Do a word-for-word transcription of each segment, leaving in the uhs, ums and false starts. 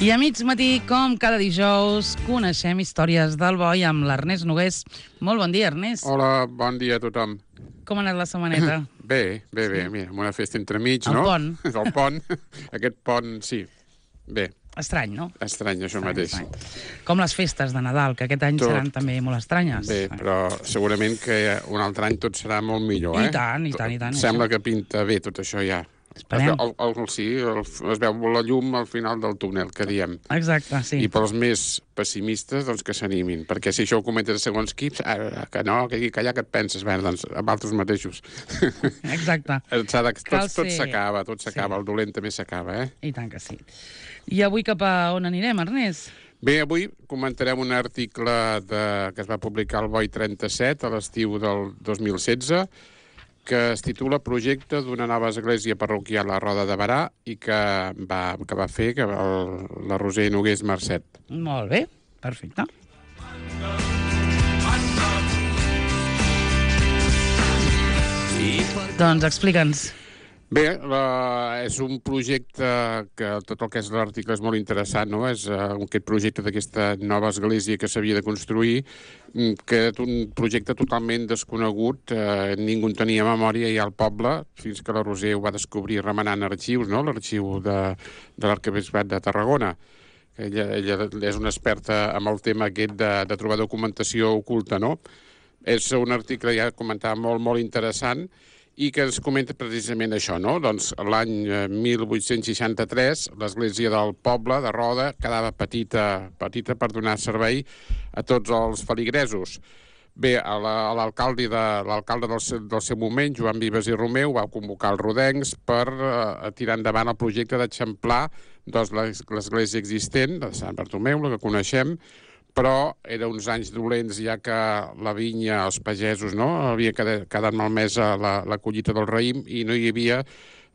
I a mig matí, com cada dijous, coneixem històries del boi amb l'Ernest Nogués. Molt bon dia, Ernest. Hola, bon dia a tothom. Com ha anat la setmaneta? Bé, bé, bé. Sí. Mira, amb una festa entremig, El no? pont. El pont. Aquest pont, sí. Bé. Estrany, no? Estrany, això Estrany, mateix. estrany. Com les festes de Nadal, que aquest any Tot. seran també molt estranyes. Bé, però segurament que un altre any tot serà molt millor, eh? I tant, i tant, i tant. Sembla això. que pinta bé tot això ja. Esperem. El, el, el, sí, el, es veu la llum al final del túnel, que diem. Exacte, sí. I pels més pessimistes, doncs que s'animin. Perquè si això ho comentes a segons quips, ah, que no, que aquí, que allà que et penses, bé, doncs, amb altres mateixos. Exacte. S'ha de, Cal tot tot ser- s'acaba, tot s'acaba. Sí. El dolent també s'acaba, eh? I tant que sí. I avui cap a on anirem, Ernest? Bé, avui comentarem un article de, que es va publicar al Boi trenta-set a l'estiu del dos mil setze, que es titula Projecte d'una nova església parroquial a Roda de Berà i que va, que va fer que el, la Roser Nogués Mercet. Molt bé, perfecte. Doncs explica'ns. Bé, la, és un projecte que tot el que és l'article és molt interessant, no? És uh, aquest projecte d'aquesta nova església que s'havia de construir, mm, que és un projecte totalment desconegut, uh, ningú en tenia memòria ja al poble, fins que la Roser ho va descobrir remenant arxius, no? L'arxiu de, de l'Arquebisbat de Tarragona. Ella, ella és una experta amb el tema aquest de, de trobar documentació oculta, no? És un article, ja comentava, molt, molt interessant, i que ens comenta precisament això, no? Doncs l'any mil vuit-cents seixanta-tres l'església del poble de Roda quedava petita, petita per donar servei a tots els feligresos. Bé, a la- a l'alcalde de, l'alcalde del, seu- del seu moment, Joan Vives i Romeu, va convocar els rodencs per eh, tirar endavant el projecte d'eixamplar doncs, l'es- l'església existent de Sant Bartomeu, la que coneixem, però eren uns anys dolents ja que la vinya, els pagesos, no? Havia quedat, quedat malmesa la, la collita del raïm i no hi havia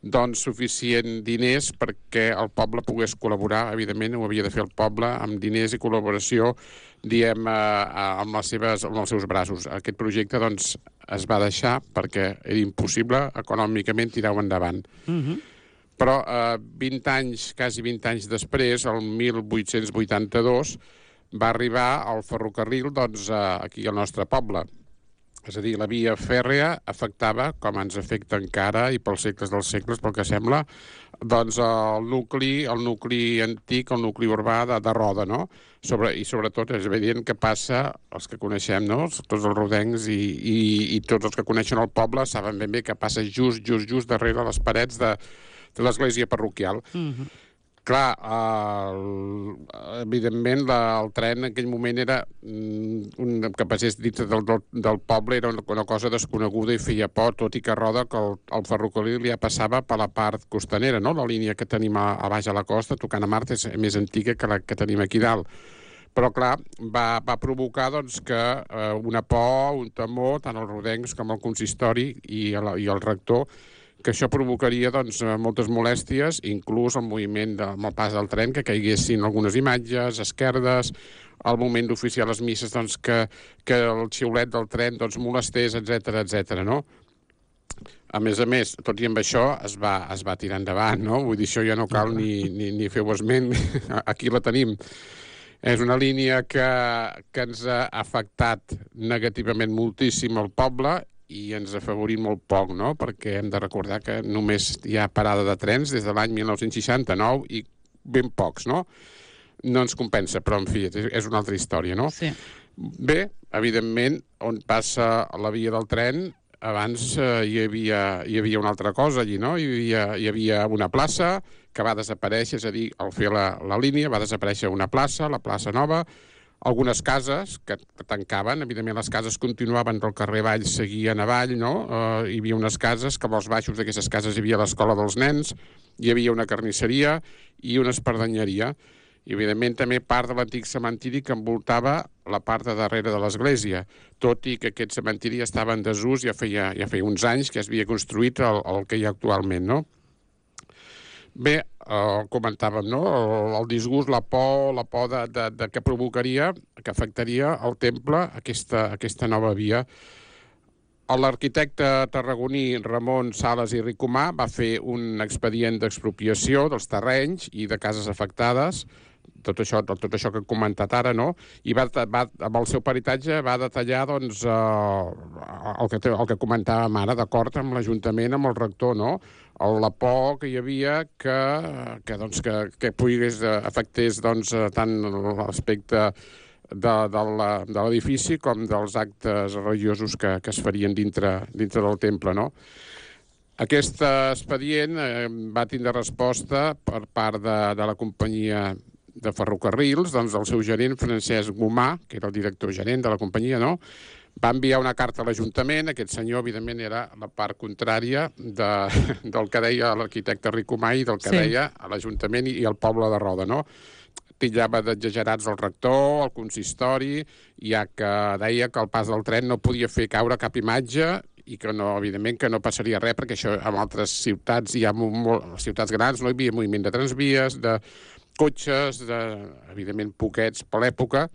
doncs, suficient diners perquè el poble pogués col·laborar. Evidentment, ho havia de fer el poble amb diners i col·laboració, diem, eh, amb, les seves, amb els seus braços. Aquest projecte doncs, es va deixar perquè era impossible econòmicament tirar-ho endavant. Mhm. Però eh, vint anys, quasi vint anys després, el mil vuit-cents vuitanta-dos, va arribar el ferrocarril doncs, eh, aquí al nostre poble. És a dir, la via fèrrea afectava, com ens afecta encara, i pels segles dels segles, pel que sembla, doncs el nucli, el nucli antic, el nucli urbà de, de Roda, no? Sobre, I sobretot és evident que passa, els que coneixem, no? Tots els rodencs i, i, i tots els que coneixen el poble saben ben bé que passa just, just, just darrere les parets de, de l'església parroquial. Mhm. Clar, el, evidentment la, el tren en aquell moment era mm, un, que passés dins del, del, del poble, era una, una cosa desconeguda i feia por, tot i que Roda que el, el ferrocarril ja passava per la part costanera, no? La línia que tenim a, a baix a la costa, tocant a Mart, és més antiga que la que tenim aquí dalt. Però, clar, va, va provocar doncs, que eh, una por, un temor, tant els rodencs com el consistori i el, i el rector, que això provocaria doncs, moltes molèsties, inclús el moviment de, amb el pas del tren, que caiguessin algunes imatges, esquerdes, al moment d'oficiar les misses, doncs, que, que el xiulet del tren doncs, molestés, etcètera, etcètera, no? A més a més, tot i amb això, es va, es va tirar endavant, no? Vull dir, això ja no cal ni, ni, ni fer-ho esment, aquí la tenim. És una línia que, que ens ha afectat negativament moltíssim al poble i ens ha afavorit molt poc, no? Perquè hem de recordar que només hi ha parada de trens des de l'any mil nou-cents seixanta-nou i ben pocs, no? No ens compensa, però, en fi, és, és una altra història, no? Sí. Bé, evidentment, on passa la via del tren, abans eh, hi, havia, hi havia una altra cosa allí, no? Hi havia, hi havia una plaça que va desaparèixer, és a dir, al fer la, la línia va desaparèixer una plaça, la plaça Nova, algunes cases que tancaven, evidentment les cases continuaven del carrer Avall, seguien avall, no? Eh, hi havia unes cases, que als baixos d'aquestes cases hi havia l'escola dels nens, hi havia una carnisseria i una espardenyeria. I, evidentment, també part de l'antic cementiri que envoltava la part de darrere de l'església, tot i que aquest cementiri estava en desús ja feia, ja feia uns anys que es havia construït el, el que hi ha actualment, no? Bé, eh, comentàvem, no? El, el disgust, la por, la por de, de, de que provocaria, que afectaria el temple, aquesta, aquesta nova via. L'arquitecte tarragoní Ramon Sales i Ricomà va fer un expedient d'expropiació dels terrenys i de cases afectades tot això, tot això que he comentat ara, no? I va, va, amb el seu peritatge va detallar doncs, eh, el, que, el que comentàvem ara, d'acord amb l'Ajuntament, amb el rector, no? La por que hi havia que, que, doncs, que, que pogués afectés doncs, tant l'aspecte de, de l'edifici com dels actes religiosos que, que es farien dintre, dintre del temple, no? Aquest expedient eh, va tindre resposta per part de, de la companyia de ferrocarrils, doncs el seu gerent, Francesc Gomà, que era el director gerent de la companyia, no? Va enviar una carta a l'Ajuntament. Aquest senyor, evidentment, era la part contrària de, del que deia l'arquitecte Ricomà i del que sí. deia a l'Ajuntament i el poble de Roda, no? Titllava d'exagerats el rector, el consistori, ja que deia que el pas del tren no podia fer caure cap imatge i que, no, evidentment, que no passaria res, perquè això en altres ciutats, hi ha molt, ciutats grans, no hi havia moviment de transvies, de cotxes, de, evidentment, poquets per l'època,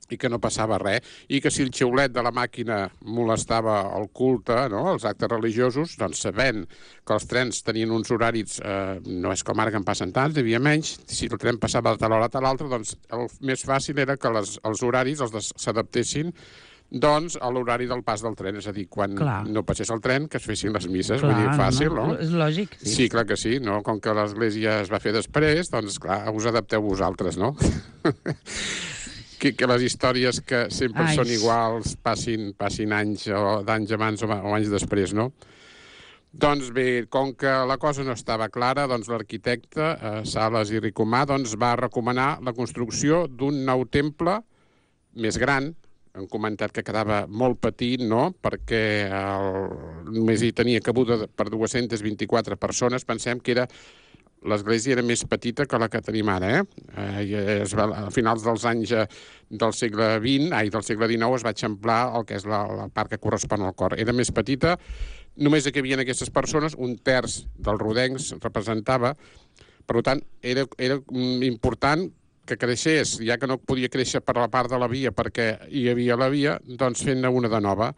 i que no passava res, i que si el xiulet de la màquina molestava el culte, no?, els actes religiosos, doncs sabent que els trens tenien uns horaris, eh, no és com ara que en passen tants, hi havia menys, si el tren passava de tal hora a tal altra, doncs el més fàcil era que les, els horaris els s'adaptessin doncs a l'horari del pas del tren, és a dir, quan clar. no passés el tren, que es fessin les misses, clar, vull dir, fàcil, no? no? És lògic. Sí. sí, clar que sí, no? Com que l'església es va fer després, doncs clar, us adapteu vosaltres, no? que, que les històries que sempre Ai. són iguals passin, passin anys o d'anys abans o, o anys després, no? Doncs bé, com que la cosa no estava clara, doncs l'arquitecte eh, Sales i Ricomà doncs, va recomanar la construcció d'un nou temple més gran. Han comentat que quedava molt petit, no?, perquè el, només hi tenia cabuda per dues-centes vint-i-quatre persones. Pensem que era l'església era més petita que la que tenim ara, eh? eh es va, a finals dels anys del segle vint, ai, del segle dinou, es va eixamplar el que és la, la part que correspon al cor. Era més petita, només que hi havia aquestes persones, un terç dels rodencs representava, per tant, era, era important que creixés, ja que no podia créixer per la part de la via perquè hi havia la via, doncs fent-ne una de nova.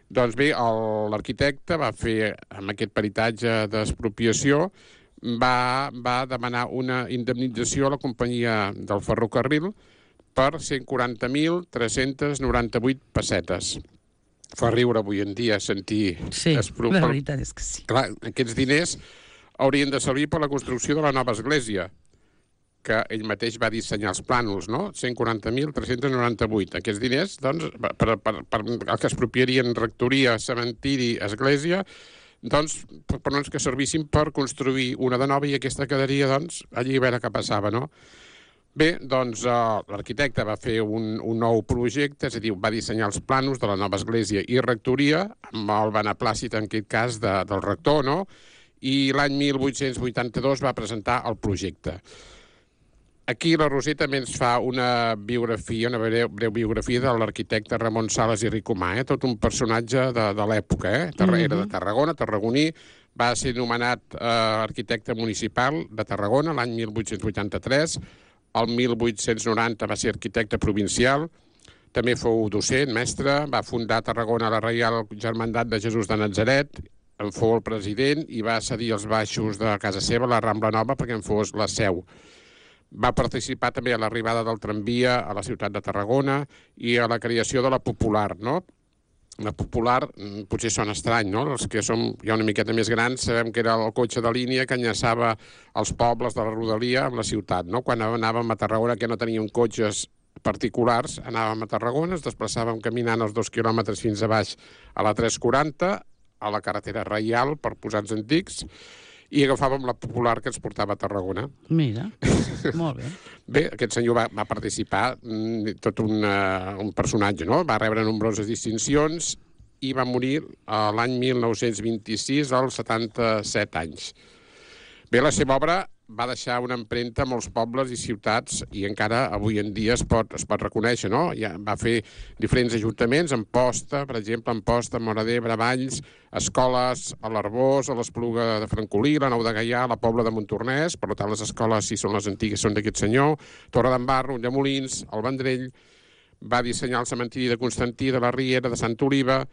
Doncs bé, l'arquitecte va fer, amb aquest peritatge d'expropiació, va, va demanar una indemnització a la companyia del ferrocarril per cent quaranta mil tres-cents noranta-vuit pessetes. Fa riure avui en dia sentir... Sí, espro... la veritat és que sí. Clar, aquests diners haurien de servir per la construcció de la nova església, que ell mateix va dissenyar els plànols, no? cent quaranta mil tres-cents noranta-vuit. Aquests diners, doncs, per, per, per el que expropiarien rectoria, cementiri, església, doncs, per, per no que servissin per construir una de nova i aquesta quedaria, doncs, allí a veure què passava, no? Bé, doncs, eh, l'arquitecte va fer un, un nou projecte, és a dir, va dissenyar els plànols de la nova església i rectoria, amb el beneplàcit, en aquest cas, de, del rector, no? I l'any mil vuit-cents vuitanta-dos va presentar el projecte. Aquí la Roser també ens fa una biografia, una breu, breu biografia de l'arquitecte Ramon Sales i Ricomà, eh? Tot un personatge de, de l'època, eh? Era de Tarragona, tarragoní, va ser nomenat eh, arquitecte municipal de Tarragona l'any mil vuit-cents vuitanta-tres, el mil vuit-cents noranta va ser arquitecte provincial, també fou docent, mestre, va fundar a Tarragona la Reial Germandat de Jesús de Natzaret, en fou el president i va cedir els baixos de casa seva, la Rambla Nova, perquè en fos la seu. Va participar també a l'arribada del tramvia a la ciutat de Tarragona i a la creació de la Popular, no? La Popular potser sona estrany, no? Els que som ja una miqueta més grans sabem que era el cotxe de línia que enllaçava els pobles de la rodalia amb la ciutat, no? Quan anàvem a Tarragona, que no teníem cotxes particulars, anàvem a Tarragona, ens desplaçàvem caminant els dos quilòmetres fins a baix a la tres quaranta, a la carretera Reial, per posar-nos antics, i agafàvem la Popular que ens portava a Tarragona. Mira, molt bé. Bé, aquest senyor va, va participar, tot un, uh, un personatge, no? Va rebre nombroses distincions i va morir l'any mil nou-cents vint-i-sis, als setanta-set anys. Bé, la seva obra va deixar una empremta a molts pobles i ciutats i encara avui en dia es pot, es pot reconèixer, no? Ja va fer diferents ajuntaments, Amposta, per exemple, Amposta, Móra d'Ebre, Valls, escoles a l'Arbós, a l'Espluga de Francolí, la Nou de Gaià, la Pobla de Montornès, per tant les escoles, si són les antigues, són d'aquest senyor, Torre d'en Barro, Ulldemolins, el Vendrell, va dissenyar el cementiri de Constantí, de la Riera, de Santa Oliva,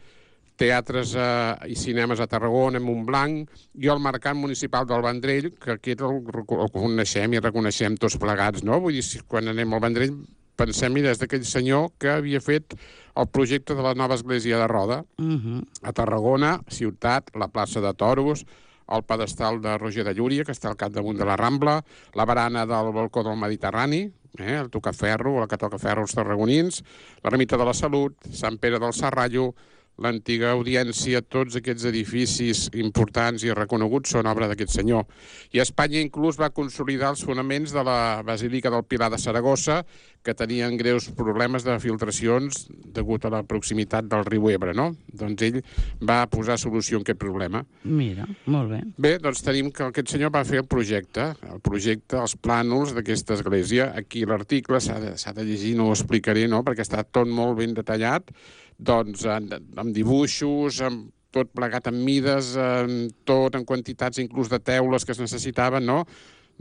teatres eh, i cinemes a Tarragona, a Montblanc, i el Mercat Municipal del Vendrell, que aquest el, el coneixem i reconeixem tots plegats, no? Vull dir, si quan anem al Vendrell pensem, mira, és d'aquell senyor que havia fet el projecte de la nova església de Roda, Uh-huh. a Tarragona, ciutat, la plaça de Toros, el pedestal de Roger de Llúria, que està al capdamunt de la Rambla, la barana del balcó del Mediterrani, eh, el tocaferro, la que toca ferro als tarragonins, l'ermita de la Salut, Sant Pere del Serrallo, l'antiga audiència, tots aquests edificis importants i reconeguts són obra d'aquest senyor. I Espanya inclús va consolidar els fonaments de la Basílica del Pilar de Saragossa, que tenien greus problemes de filtracions degut a la proximitat del riu Ebre, no? Doncs ell va posar solució a aquest problema. Mira, molt bé. Bé, doncs tenim que aquest senyor va fer el projecte, el projecte, els plànols d'aquesta església. Aquí l'article s'ha de, s'ha de llegir, no ho explicaré, no?, perquè està tot molt ben detallat, doncs amb, amb dibuixos, amb tot plegat amb mides, amb tot, en quantitats inclús de teules que es necessitaven, no?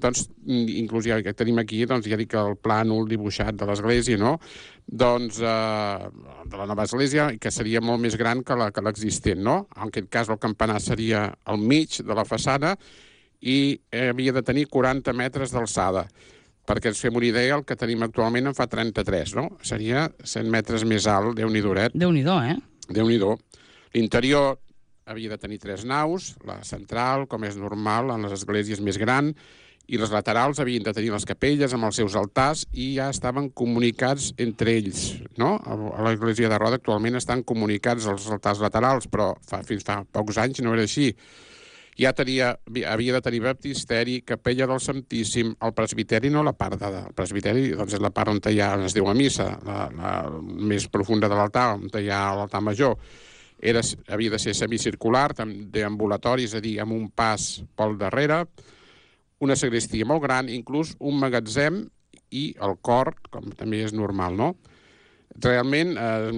Doncs, inclús ja que tenim aquí, doncs ja dic el plànol dibuixat de l'església, no? Doncs, eh, de la nova església, que seria molt més gran que la, que l'existent, no? En aquest cas el campanar seria al mig de la façana i havia de tenir quaranta metres d'alçada. Perquè ens fem una idea, el que tenim actualment en fa trenta-tres, no? Seria cent metres més alt, Déu-n'hi-do, Déu-n'hi-do, eh? Déu-n'hi-do. L'interior havia de tenir tres naus, la central, com és normal, en les esglésies més gran, i les laterals havien de tenir les capelles amb els seus altars i ja estaven comunicats entre ells, no? A l'església de Roda actualment estan comunicats els altars laterals, però fa, fins fa pocs anys no era així. Ja tenia, havia de tenir baptisteri, capella del Santíssim, el presbiteri, no la part de... El presbiteri doncs, és la part on hi ha, on es diu a missa, la, la més profunda de l'altar, on hi ha l'altar major. Era, havia de ser semicircular, deambulatori, és a dir, amb un pas pel darrere, una sagristia molt gran, inclús un magatzem i el cor, com també és normal, no? Realment eh,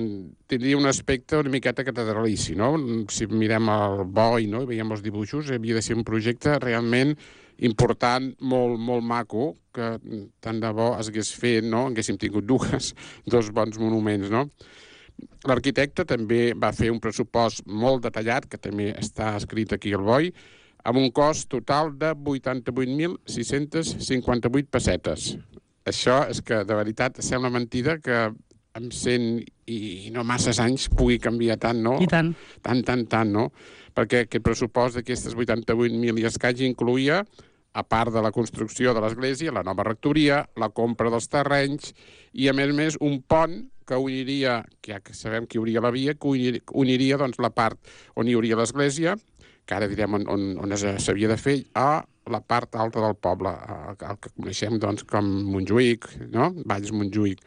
tindria un aspecte una miqueta catedralici, no? Si mirem el boi, no?, i veiem els dibuixos, havia de ser un projecte realment important, molt, molt maco, que tant de bo es hagués fet, no?, haguéssim tingut dues, dos bons monuments, no? L'arquitecte també va fer un pressupost molt detallat, que també està escrit aquí al boi, amb un cost total de vuitanta-vuit mil sis-cents cinquanta-vuit pessetes. Això és que, de veritat, sembla mentida que amb cent i no masses anys pugui canviar tant, no? I tant. Tant, tant, tant, no? Perquè aquest pressupost d'aquestes vuitanta-vuit mil i escaig incluïa, a part de la construcció de l'església, la nova rectoria, la compra dels terrenys i, a més a més, un pont que uniria, que ja que sabem que hi hauria la via, que uniria, uniria doncs, la part on hi hauria l'església, que ara direm on, on, on s'havia de fer, a la part alta del poble, el que coneixem doncs, com Montjuïc, no? Valls Montjuïc.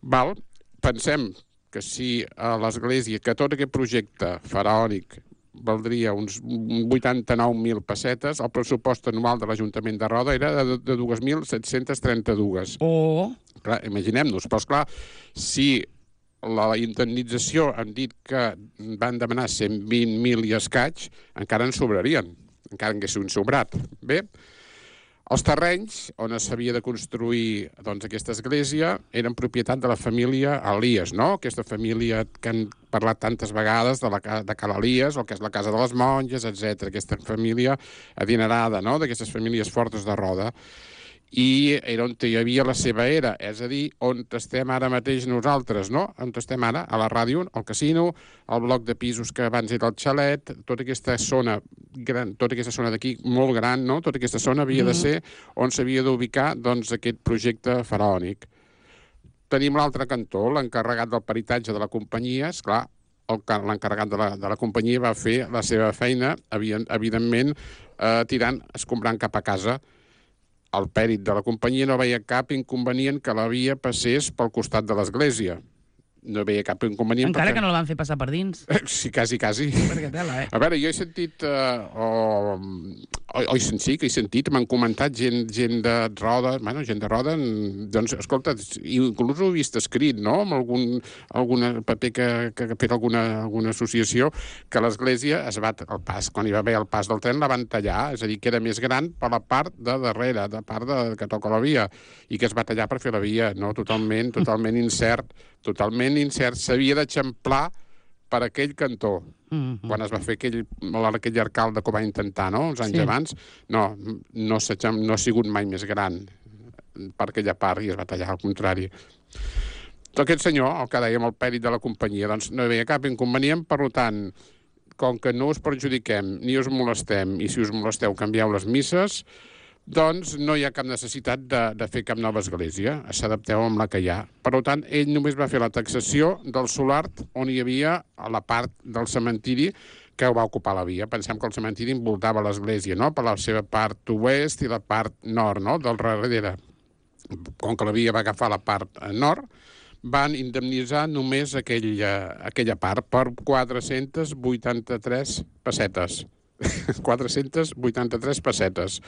Val? Pensem que si a l'església, que tot aquest projecte faraònic valdria uns vuitanta-nou mil pessetes, el pressupost anual de l'Ajuntament de Roda era de, de dos mil set-cents trenta-dos. Oh! Clar, imaginem-nos, però esclar, si la indemnització han dit que van demanar cent vint mil i escaig, encara en sobrarien, encara en haguessin sobrat. Bé, els terrenys on s'havia de construir doncs, aquesta església eren propietat de la família Elies, no? Aquesta família que han parlat tantes vegades de, la, de Cal Elies, el que és la casa de les monges, etcètera. Aquesta família adinerada, no?, d'aquestes famílies fortes de Roda. I era on hi havia la seva era, és a dir, on estem ara mateix nosaltres, no? On estem ara, a la ràdio, al casino, al bloc de pisos que abans era el xalet, tota aquesta zona gran, tota aquesta zona d'aquí molt gran, no? Tota aquesta zona havia de ser on s'havia d'ubicar, doncs, aquest projecte faraònic. Tenim l'altre cantó, l'encarregat del peritatge de la companyia, esclar, l'encarregat de, la, de la companyia va fer la seva feina, evidentment, eh, tirant, escombrant cap a casa. El pèrit de la companyia no veia cap inconvenient que la via passés pel costat de l'església. No veia cap inconvenient. Encara perquè... que no la van fer passar per dins. Sí, quasi, quasi. Perquè tela, eh? A veure, jo he sentit... Uh, o, o, o sí, que he sentit, m'han comentat gent, gent de Roda, bueno, gent de Roda, doncs, escolta, inclús ho he vist escrit, no?, amb algun alguna paper que, que, que per alguna, alguna associació, que l'església es va, el pas, quan hi va haver el pas del tren, la van tallar, és a dir, que era més gran per la part de darrere, de part de, que toca la via, i que es va tallar per fer la via, no?, totalment, totalment incert, totalment incert, s'havia d'eixamplar per aquell cantó. Mm-hmm. Quan es va fer aquell, aquell alcalde que ho va intentar, no?, uns anys sí. abans, no, no, no ha sigut mai més gran per aquella part i es va tallar, al contrari. Aquest senyor, el que dèiem, el pèrit de la companyia, doncs no hi havia cap inconvenient, per tant, com que no us perjudiquem ni us molestem, i si us molesteu canvieu les misses, doncs no hi ha cap necessitat de, de fer cap nova església, s'adapteu amb la que hi ha. Per tant, ell només va fer la taxació del solar on hi havia a la part del cementiri que va ocupar la via. Pensem que el cementiri envoltava l'església, no?, per la seva part oest i la part nord, no?, del darrere. Com que la via va agafar la part nord, van indemnitzar només aquella, aquella part per quatre-centes vuitanta-tres pessetes. quatre-centes vuitanta-tres pessetes.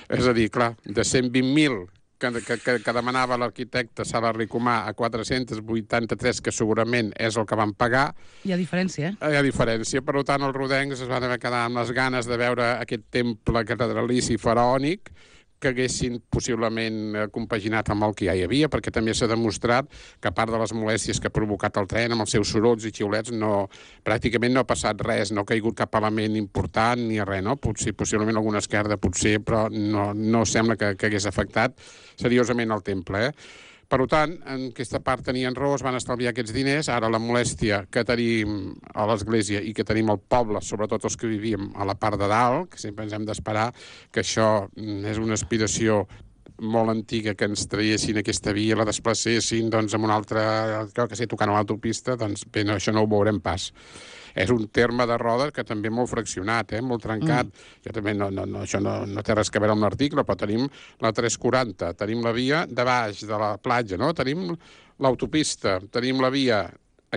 És a dir, clar, de cent vint mil que, que, que demanava l'arquitecte Sala Ricomà a quatre-cents vuitanta-tres, que segurament és el que van pagar. Hi ha diferència, eh? Hi ha diferència. Per tant, els rodencs es van haver quedar amb les ganes de veure aquest temple catedralici faraònic que haguessin possiblement compaginat amb el que ja hi havia, perquè també s'ha demostrat que a part de les molèsties que ha provocat el tren, amb els seus sorolls i xiulets, no, pràcticament no ha passat res, no ha caigut cap element important ni res, no? Potser, possiblement alguna esquerda, potser, però no, no sembla que, que hagués afectat seriosament el temple, eh? Per tant, en aquesta part tenien raó, es van estalviar aquests diners. Ara la molèstia que tenim a l'església i que tenim al poble, sobretot els que vivíem a la part de dalt, que sempre ens hem d'esperar que això és una aspiració molt antiga, que ens traiessin aquesta via, la desplacessin doncs, amb una altra, que sé, tocant a l'autopista, doncs bé, no, això no ho veurem pas. És un terme de roda que també molt fraccionat, eh? Molt trencat. Mm. Jo també no, no, no, això no, no té res a veure amb l'article, però tenim la tres quaranta, tenim la via de baix de la platja, no? Tenim l'autopista, tenim la via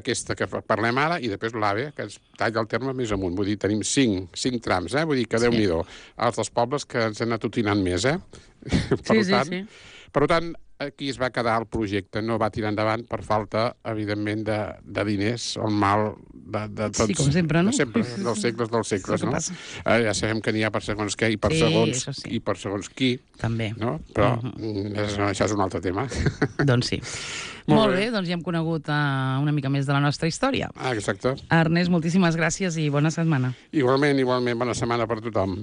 aquesta que parlem ara, i després l'AVE, que ens talla el terme més amunt. Vull dir, tenim cinc, cinc trams, eh? Vull dir que sí. Déu-n'hi-do. Els dels pobles que ens han anat utinant més, eh? Per sí, tant, sí, sí. Per tant, aquí es va quedar el projecte, no va tirar endavant per falta, evidentment, de, de diners, el mal de, de tots... Sí, com sempre, no? De sempre, dels segles dels segles, no? Eh, ja sabem que n'hi ha per segons què i per, sí, segons, sí. i per segons qui. També. No? Però uh uh-huh. és, això és un altre tema. Doncs sí. Molt, Molt bé. bé, doncs ja hem conegut uh, una mica més de la nostra història. Ah, exacte. Ernest, moltíssimes gràcies i bona setmana. Igualment, igualment, bona setmana per tothom.